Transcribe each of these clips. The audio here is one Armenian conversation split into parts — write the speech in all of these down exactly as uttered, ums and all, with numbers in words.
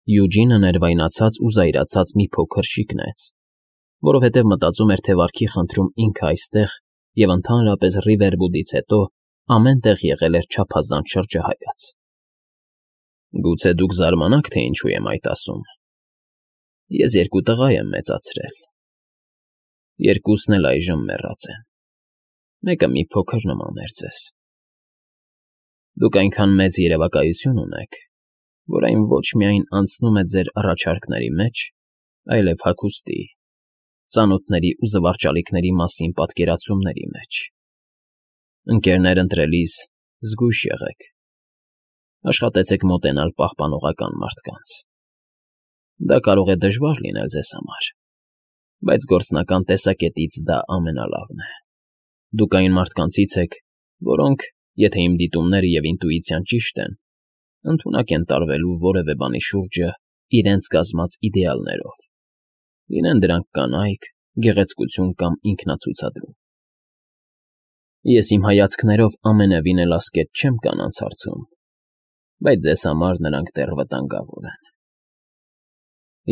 Յուջինը ներվայնացած ու զայրացած մի փոքր շիկ նայեց, որովհետև մտածում էր, թե վարքի խնդրում ինքը այստեղ և ընդհանրապես Ռիվերվուդից հետո ամեն տեղ եղել էր չափազանց շրջահայաց։ Գուցե դուք զարմանաք, թե ինչու եմ այդ ասում. ես երկու տղա եմ մեծացրել, երկուսն էլ այժմ մեռած են, մեկը մի փոքր նման էր ձեզ։ Դուք այնքան մեծ երևակայություն ունեք, որ այն ոչ միայն անցնում է ձեր առաջարկների մեջ, այլև հագուստի, ծանոթների ու զվարճալիքների մասին պատկերացումների մեջ։ Ընկերներ ընտրելիս զգույշ եղեք, աշխատեցեք մոտենալ պահպանողական մարդկանց։ Դա կարող է դժվար լինել ձեզ համար, բայց գործնական տեսակետից դա ամենալավն է։ Դուք այն մարդկանցից եք, որոնք, եթե իմ դիտումները և ինտուիցիան ճիշտ են, ընդունակ են տարվելու որևէ բանի շուրջը իրենց կազմած իդեալներով, լինեն դրանք կանայք, գեղեցկություն կամ ինքնացուցադրում։ Ես իմ հայացքներով ամենևին էլ ասկետ չեմ կանանց հարցում, բայց ձեզ համար նրանք դեռ վտանգավոր են։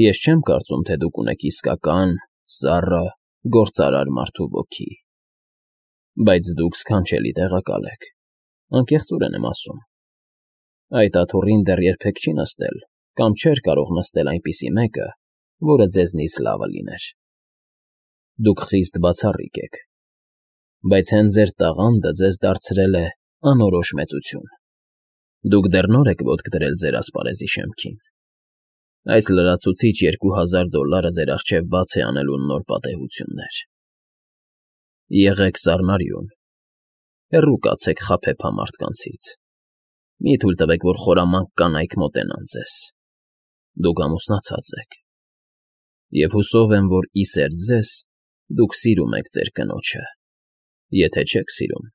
Ես չեմ կարծում, թե դուք ունեք իսկական, սառը, գործարար մարդու ոգի, բայց դուք սքանչելի տեղակալ եք, անկեղծորեն եմ ասում։ Այդ աթոռին դեռ երբեք չի նստել կամ չէր կարող նստել այնպիսի մեկը, որը ձեզնից լավը լիներ։ Դուք խիստ բացառիկ եք, բայց հենց ձեր տաղանդը ձեզ դարձրել է անորոշ մեծություն։ Դուք դեռ նոր եք ոտք դրել ձեր ասպարեզի շեմքին։ Այս լրացուցիչ երկու հազար դոլարը ձեր առջև բաց է անելու նոր պատեհություններ։ Եղեք սառնարյուն, հեռու կացեք խաբեբա մարդկանցից։ Մի թույլ տվեք, որ խորամանկ կանայք մոտենան ձեզ։ Դուք ամուսնացած եք, և հուսով եմ, որ ի սերտ ձեզ դուք սիրում եք ձեր կնոջը, եթե չեք սիրում,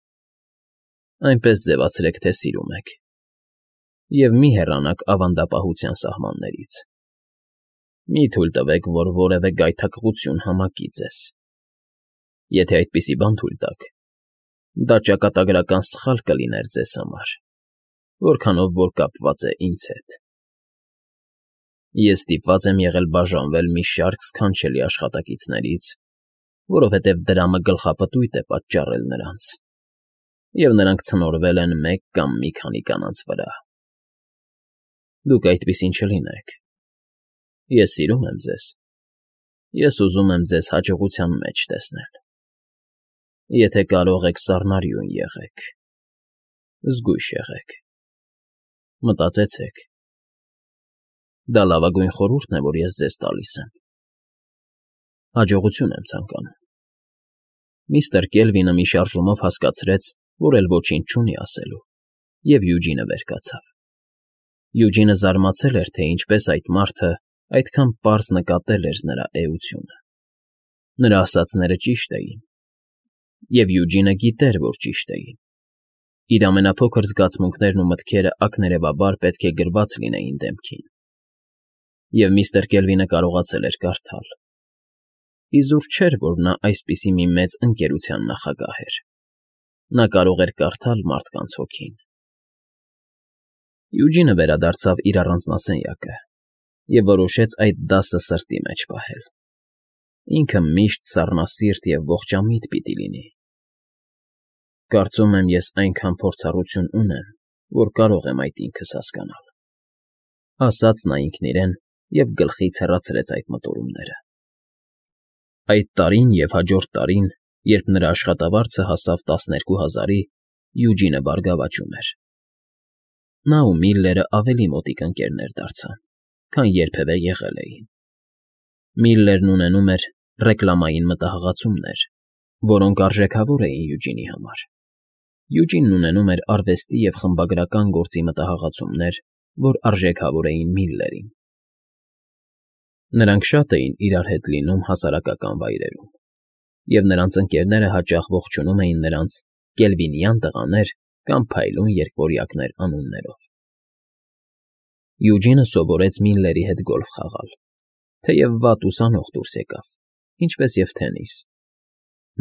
այնպես ձևացրեք, թե սիրում եք, և մի հեռանաք ավանդապահության սահմաններից։ Մի թույլ տվեք, որ որևէ գայթակղություն համակի ձեզ։ Եթե այդպիսի բան թույլ տաք, դա ճակատագրական սխալ կլիներ ձեզ համար, որքանով որ կապված է ինձ հետ։ Ես ստիպված եմ եղել բաժանվել մի շարք սքանչելի աշխատակիցներից, որովհետև դրամը գլխապտույտ է պատճառել նրանց, և նրանք ցնորվել են մեկ կամ մի քանի կանանց վրա։ Դուք այդպիսին չլինեք։ Ես սիրում եմ ձեզ, ես ուզում եմ ձեզ հաջողության մեջ տեսնել։ Եթե կարող եք, սառնարյուն եղեք, զգույշ եղեք, մտածեցեք։ Դա լավագույն խորհուրդն է, որ ես ձեզ տալիս եմ։ Հաջողություն եմ ցանկանում։ Միստր Կելվինը մի շարժումով հասկացրեց, որ էլ ոչինչ չունի ասելու, և Յուջինը վեր կացավ։ Յուջինը զարմացել էր, թե ինչպես այդ մարդը այդքան պարզ նկատել էր նրա էությունը։ Նրա ասածները ճիշտ էին, և Յուջինը գիտեր, որ ճիշտ էին։ Իր ամենափոքր զգացմունքներն ու մտքերը ակներևաբար պետք է գրված լինեին դեմքին։ Եվ միստր Կելվինը կարողացել էր կարդալ։ Իզուր չէր, որ նա այսպիսի մի մեծ ընկերության նախագահ էր։ Նա կարող էր կարդալ մարդկանց հոգին։ Յուջինը վերադարձավ իր առանձնասենյակը և որոշեց այդ դասը սրտի մեջ պահել։ Ինքը միշտ սառնասիրտ և ողջամիտ պիտի լինի։ Կարծում եմ, ես այնքան փորձառություն ունեմ, որ կարող եմ այդ ինքս հասկանալ, ասաց նա ինքն իրեն և գլխից հեռացրեց այդ մտորումները։ Այդ տարին և հաջորդ տարին, երբ նրա աշխատավարձը հասավ տասներկու հազարի, Յուջինը բարգավաճում էր։ Նա ու Միլլերը ավելի մոտիկ ընկերներ դարձան, քան երբևէ եղել էին։ Միլլերն ունենում էր ռեկլամային մտահղացումներ, որոնք արժեքավոր էին Յուջինի համար։ Յուջինն ունենում էր արվեստի և խմբագրական գործի մտահղացումներ, որ արժեքավոր էին Միլլերին։ Նրանք շատ էին իրար հետ լինում հասարակական վայրերում, և նրանց ընկերները հաճախ ողջունում էին նրանց Կելվինյան տղաներ կամ փայլուն երկվորյակներ անուններով։ Յուջինը սովորեց Միլլերի հետ գոլֆ խաղալ, թեև վատ ուսանող դուրս եկավ, ինչպես և թենիս։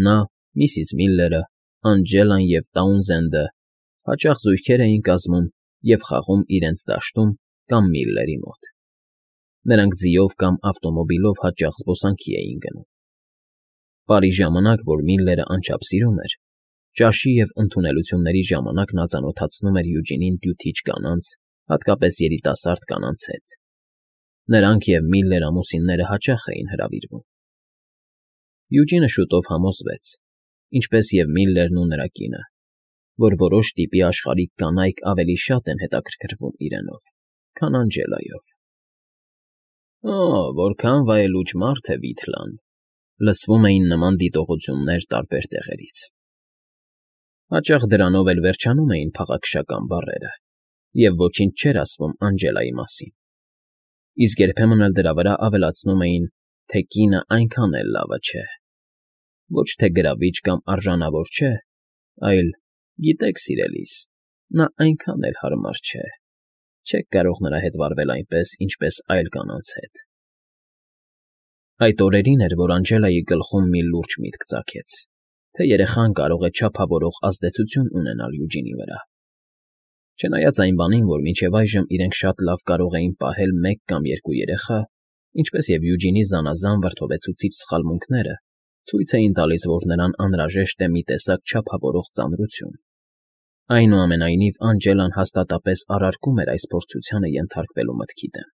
Նա, միսիս Միլլերը, Անջելան և Տաունզենդը հաճախ զույգեր էին կազմում և խաղում իրենց դաշտում կամ Միլլերի մոտ։ Նրանք ձիով կամ ավտոմոբիլով հաճախ զբոսանքի էին գնում։ Պարի ժամանակ, որ Միլլերը անչափ սիրում էր, ճաշի և ընդունելությունների ժամանակ նա ծանոթացնում էր Յուջինին դյութիչ կանանց, հատկապես երիտասարդ կանանց հետ։ Նրանք և Միլլեր ամուսինները հաճախ էին հրավիրվում։ Յուջինը շուտով համոզվեց, ինչպես և Միլլերն ու նրա կինը, որ որոշ տիպի աշխարհիկ կանայք ավելի շատ են հետաքրքրվում իրենով, քան Անջելայով։ «Օ՜, որքան վայելուչ մարդ է Վիթլան», լսվում էին նման դիտողություններ տարբեր տեղերից։ Հաճախ դրանով էլ վերջանում էին փաղաքշական բառերը, և ոչինչ չէր ասվում Անջելայի մասին, իսկ երբեմն էլ դրա վրա ավելացնում էին, թե կինը այնքան էլ լավը չէ, ոչ թե գրավիչ կամ արժանավոր չէ, այլ, գիտեք, սիրելիս, նա այնքան էլ հարմար չէ, չեք կարող նրա հետ վարվել այնպես, ինչպես այլ կանանց հետ։ Այդ օրերին էր, որ Անջելայի գլխում մի լուրջ միտք ծագեց, թե երեխան կարող է չափավորող ազդեցություն ունենալ Յուջինի վրա։ Չնայած այն բանին, որ մինչև այժմ իրենք շատ լավ կարող էին պահել մեկ կամ երկու երեխա, ինչպես և Յուջինի զանազան վրդովեցուցիչ սխալմունքները ցույց էին տալիս, որ նրան անհրաժեշտ է մի տեսակ չափավորող ծանրություն, այնուամենայնիվ Անջելան հաստատապես արարկում էր այս փորձությանը ենթարկվելու մտքի դեմ։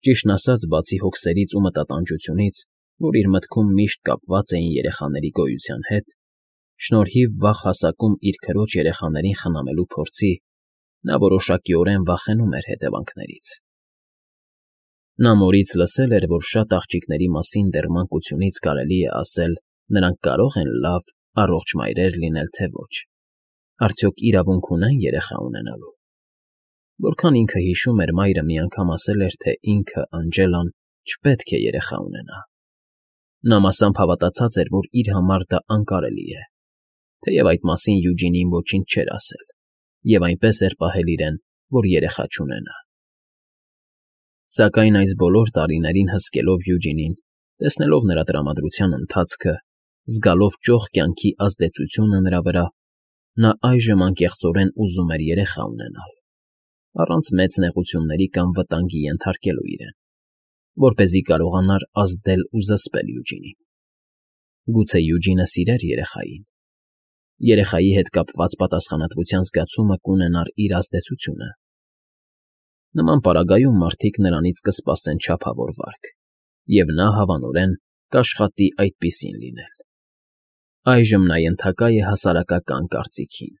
Ճիշտն ասած, բացի հոգսերից ու մտատանջությունից, որ իր մտքում միշտ կապված էին երեխաների գոյության հետ, շնորհիվ վաղ հասակում իր քրոջ երեխաներին խնամելու փորձի, նա որոշակիորեն վախենում էր հետևանքներից։ Նա մորից լսել էր, որ շատ աղջիկների մասին դեռ մանկությունից կարելի է ասել, նրանք կարող են լավ, առողջ մայրեր լինել, թե ոչ, արդյոք իրավունք ունեն երեխա ունենալու։ Որքան ինքը հիշում էր, մայրը մի անգամ ասել էր, թե ինքը, Անջելան, չպետք է երեխա ունենա։ Նա մասամբ հավատացած էր, որ իր համար դա անկարելի է, թեև այդ մասին Յուջինին ոչինչ չէր ասել, և այնպես էր պահել իրեն, որ երեխա չունենա։ Սակայն այս բոլոր տարիներին հսկելով Յուջինին, տեսնելով նրա տրամադրության ընթացքը, զգալով ճոխ կյանքի ազդեցությունը նրա վրա, նա այժմ անկեղծորեն ուզում էր երեխա ունենալ, առանց մեծ նեղությունների կամ վտանգի ենթարկելու իրեն, որպեսզի կարողանար ազդել ու զսպել Յուջինին։ Գուցե Յուջինը սիրեր երեխային։ Երեխայի հետ կապված պատասխանատվության զգացումը կունենար իր ազդեցությունը։ Նման պարագայում մարդիկ նրանից կսպասեն չափավոր վարք, և նա հավանորեն կաշխատի այդպիսին լինել։ Այժմ նա ենթակա է հասարակական կարծիքին։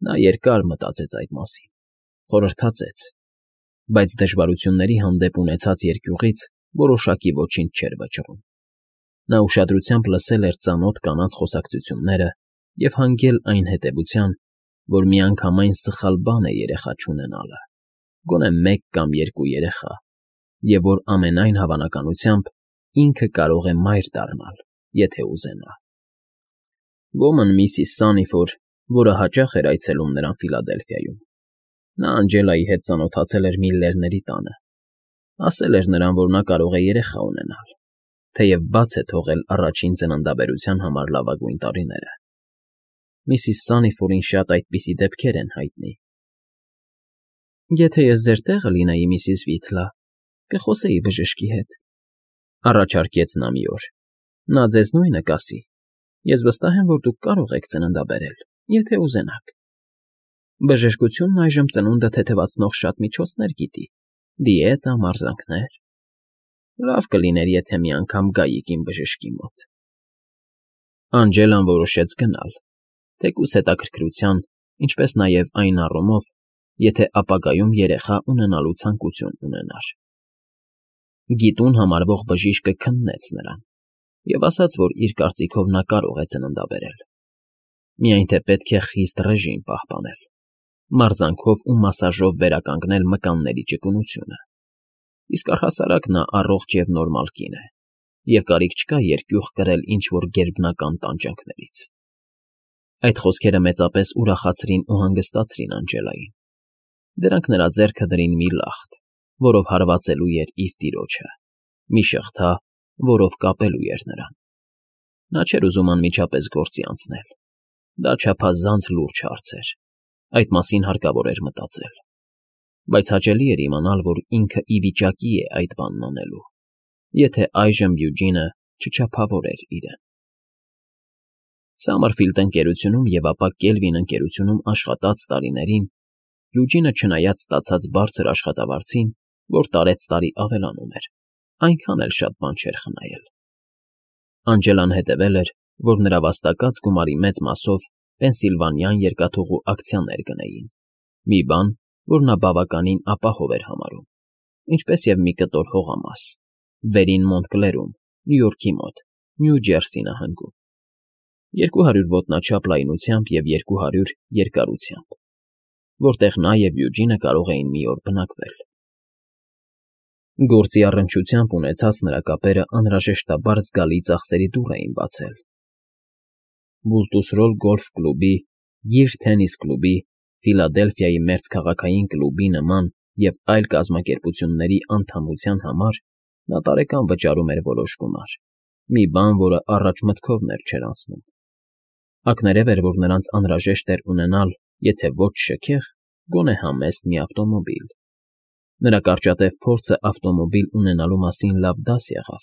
Նա երկար մտածեց այդ մասին, խորհրդածեց, բայց դժվարությունների հանդեպ ունեցած երկյուղից որոշակի ոչինչ չէր վճռում։ Նա ուշադրությամբ լսել էր ծանոթ կանանց խոսակցությունները և հանգել այն հետևության, որ միանգամայն սխալ բան է երեխա չունենալը, գոնե մեկ կամ երկու երեխա, և որ ամենայն հավանականությամբ ինքը կարող է մայր դառնալ, եթե ուզենա։ Ոմն միսիս Սանիֆոր, որը հաճախ էր այցելում նրան Ֆիլադելֆիայում, նա Անջելայի հետ ծանոթացել էր Միլլերների տանը, ասել էր նրան, որ նա կարող է երեխա ունենալ, թեև բաց է թողել առաջին ծննդաբերության համար լավագույն տարիները։ Միսիս Սանիֆորին շատ այդպիսի դեպքեր են հայտնի։ Եթե ես ձեր տեղը լինեի, միսիս Վիթլա, կխոսեի բժշկի հետ, առաջարկեց նա մի օր, նա ձեզ նույնը կասի։ Ես վստահ եմ, որ դուք կարող եք ծննդաբերել, եթե ուզենաք։ Բժշկությունն այժմ ծնունդը թեթևացնող շատ միջոցներ գիտի, դիետա, մարզանքներ։ Լավ կլիներ, եթե մի անգամ գայիք իմ բժշկի մոտ։ Անջելան որոշեց գնալ, թեկուզ հետաքրքրության, ինչպես նաև այն առումով, եթե ապագայում երեխա ունենալու ցանկություն ունենար։ Գիտուն համարվող բժիշկը քննեց նրան և ասաց, որ իր կարծիքով նա կարող է ծննդաբերել, միայն թե պետք է խիստ ռեժիմ պահպանել, մարզանքով ու մասաժով վերականգնել մկանների ճկունությունը, իսկ առհասարակ նա առողջ և նորմալ կին է, և կարիք չկա երկյուղ կրել ինչ֊որ գերբնական տանջանքներից։ Այդ խոսքերը մեծապես ուրախացրին ու հանգստացրին Անջելային։ Դրանք նրա ձեռքը դրին մի լախտ, որով հարվածելու էր իր տիրոջը, մի շղթա, որով կապելու էր նրան։ Նա չէր ուզում անմիջապես գործի անցնել։ Դա չափազանց լուրջ հարց էր, այդ մասին հարկավոր էր մտածել։ բայց հաճելի էր իմանալ, որ ինքը ի վիճակի է այդ բանն անելու, եթե այժմ Յուջինը չչափավորեր իրեն։ Սամմերֆիլդ ընկերությունում և ապա Կելվին ընկերությունում աշխատած տարիներին Յուջինը, չնայած ստացած բարձր աշխատավարձին, որ տարեցտարի ավելանում էր, այնքան էլ շատ բան չէր խնայել։ Անջելան հետևել էր, որ նրա վաստակած գումարի մեծ մասով Պենսիլվանյան երկաթուղու ակցիաներ գնեին, մի բան, որ նա բավականին ապահով էր համարում, ինչպես և մի կտոր հողամաս, Վերին Մոնտկլերում, Նյու Յորքի մոտ, Նյու Ջերսի նահանգում, երկու հարյուր ոտնաչափ լայնությամբ և երկու հարյուր երկարությամբ, որտեղ նա և Յուջինը կարող էին մի օր բնակվել։ Գործի առնչությամբ ունեցած նրա կապերը անհրաժեշտաբար զգալի ծախսերի դուռ էին բացել։ Բուլտուսրոլ գոլֆ կլուբի, Գիր թենիս կլուբի, Ֆիլադելֆիայի մերձքաղաքային կլուբի նման և այլ կազմակերպությունների անդամության համար նա տարեկան վճարում էր որոշ գումար, մի բան, որը առաջ մտքովն էլ չէր անցնում։ Ակներև էր, որ նրանց անհրաժեշտ էր ունենալ, եթե ոչ շքեղ, գոնե համեստ մի ավտոմոբիլ։ Նրա կարճատև փորձը ավտոմոբիլ ունենալու մասին լավ դաս եղավ,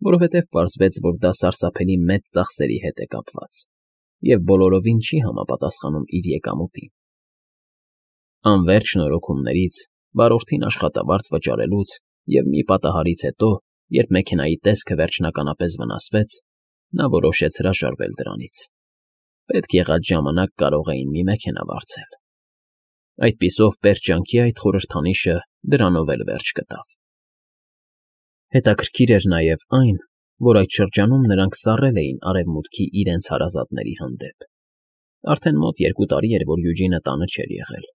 որովհետև պարզվեց, որ դա սարսափելի մեծ ծախսերի հետ է կապված և բոլորովին չի համապատասխանում իր եկամուտին։ Անվերջ շնորհքումներից, վարորդին աշխատավարձ վճարելուց և մի պատահարից հետո, երբ մեքենայի տեսքը վերջնականապես վնասվեց, նա որոշեց հրաժարվել դրանից։ Պետք եղած ժամանակ կարող էին մի մեքենա վարձել։ Այդպիսով պերճանքի այդ խորհրդանիշը դրանով էլ վերջ գտավ։ Հետաքրքիր էր նաև այն, որ այդ շրջանում նրանք սառել էին Արևմուտքի իրենց հարազատների հանդեպ։ Արդեն մոտ երկու տարի էր, որ Յուջինը տանը չէր եղել,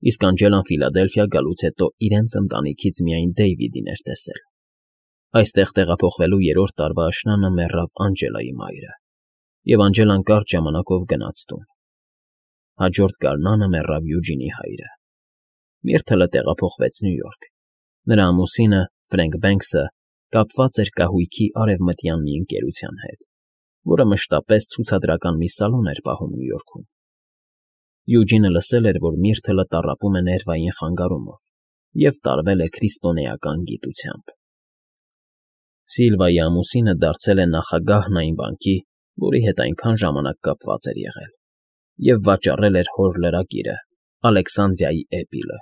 իսկ Անջելան Ֆիլադելֆիա գալուց հետո իրենց ընտանիքից միայն Դեյվիդին էր տեսել։ Այստեղ տեղափոխվելու երրորդ տարվա աշնանը մեռավ Անջելայի մայրը, և Անջելան կարճ ժամանակով գնաց տուն։ Հաջորդ գարնանը մեռավ Յուջինի հայրը։ Միրթլը տեղափոխվեց Նյու Յորք։ Նրա ամուսինը՝ Ֆրենք Բենքսը, կապված էր կահույքի արևմտյան մի ընկերության հետ, որը մշտապես ցուցադրական մի սալոն էր պահում Նյու Յորքում։ Յուջինը լսել էր, որ Միրթլը տառապում է ներվային խանգարումով և տարվել է քրիստոնեական գիտությամբ։ Սիլվայի ամուսինը դարձել է նախագահն այն բանկի, որի հետ այնքան ժամանակ կապված էր եղել, և վաճառել էր հոր լրագիրը՝ Ալեքսանդրիայի էպիլը,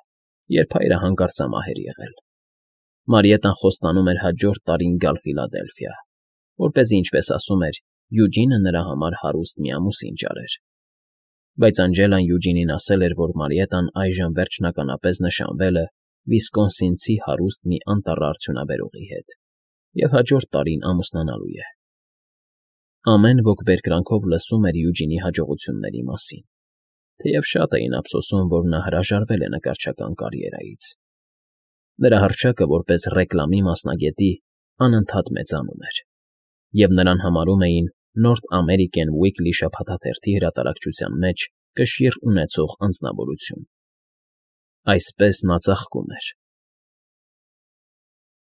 երբ հայրը հանկարծամահ էր եղել։ Մարիետան խոստանում էր հաջորդ տարին գալ Ֆիլադելֆիա, որպեսզի, ինչպես ասում էր, Յուջինը նրա համար հարուստ մի ամուսին ճարեր։ Բայց Անջելան Յուջինին ասել էր, որ Մարիետան այժմ վերջնականապես նշանվել է վիսկոնսինցի հարուստ մի անտառաարդյունաբերողի հետ և հաջորդ տարին ամուսնանալու է։ Ամեն ոք բերկրանքով լսում էր Յուջինի հաջողությունների մասին, թեև շատ էին ափսոսում, որ նա հրաժարվել է նկարչական կարիերայից։ Նրա հռչակը որպես ռեկլամի մասնագետի անընդհատ մեծանում էր, և նրան համարում էին North American Weekly շաբաթաթերթի հրատարակչության մեջ կշիռ ունեցող անձնավորություն։ Այսպես նա ծաղկում էր,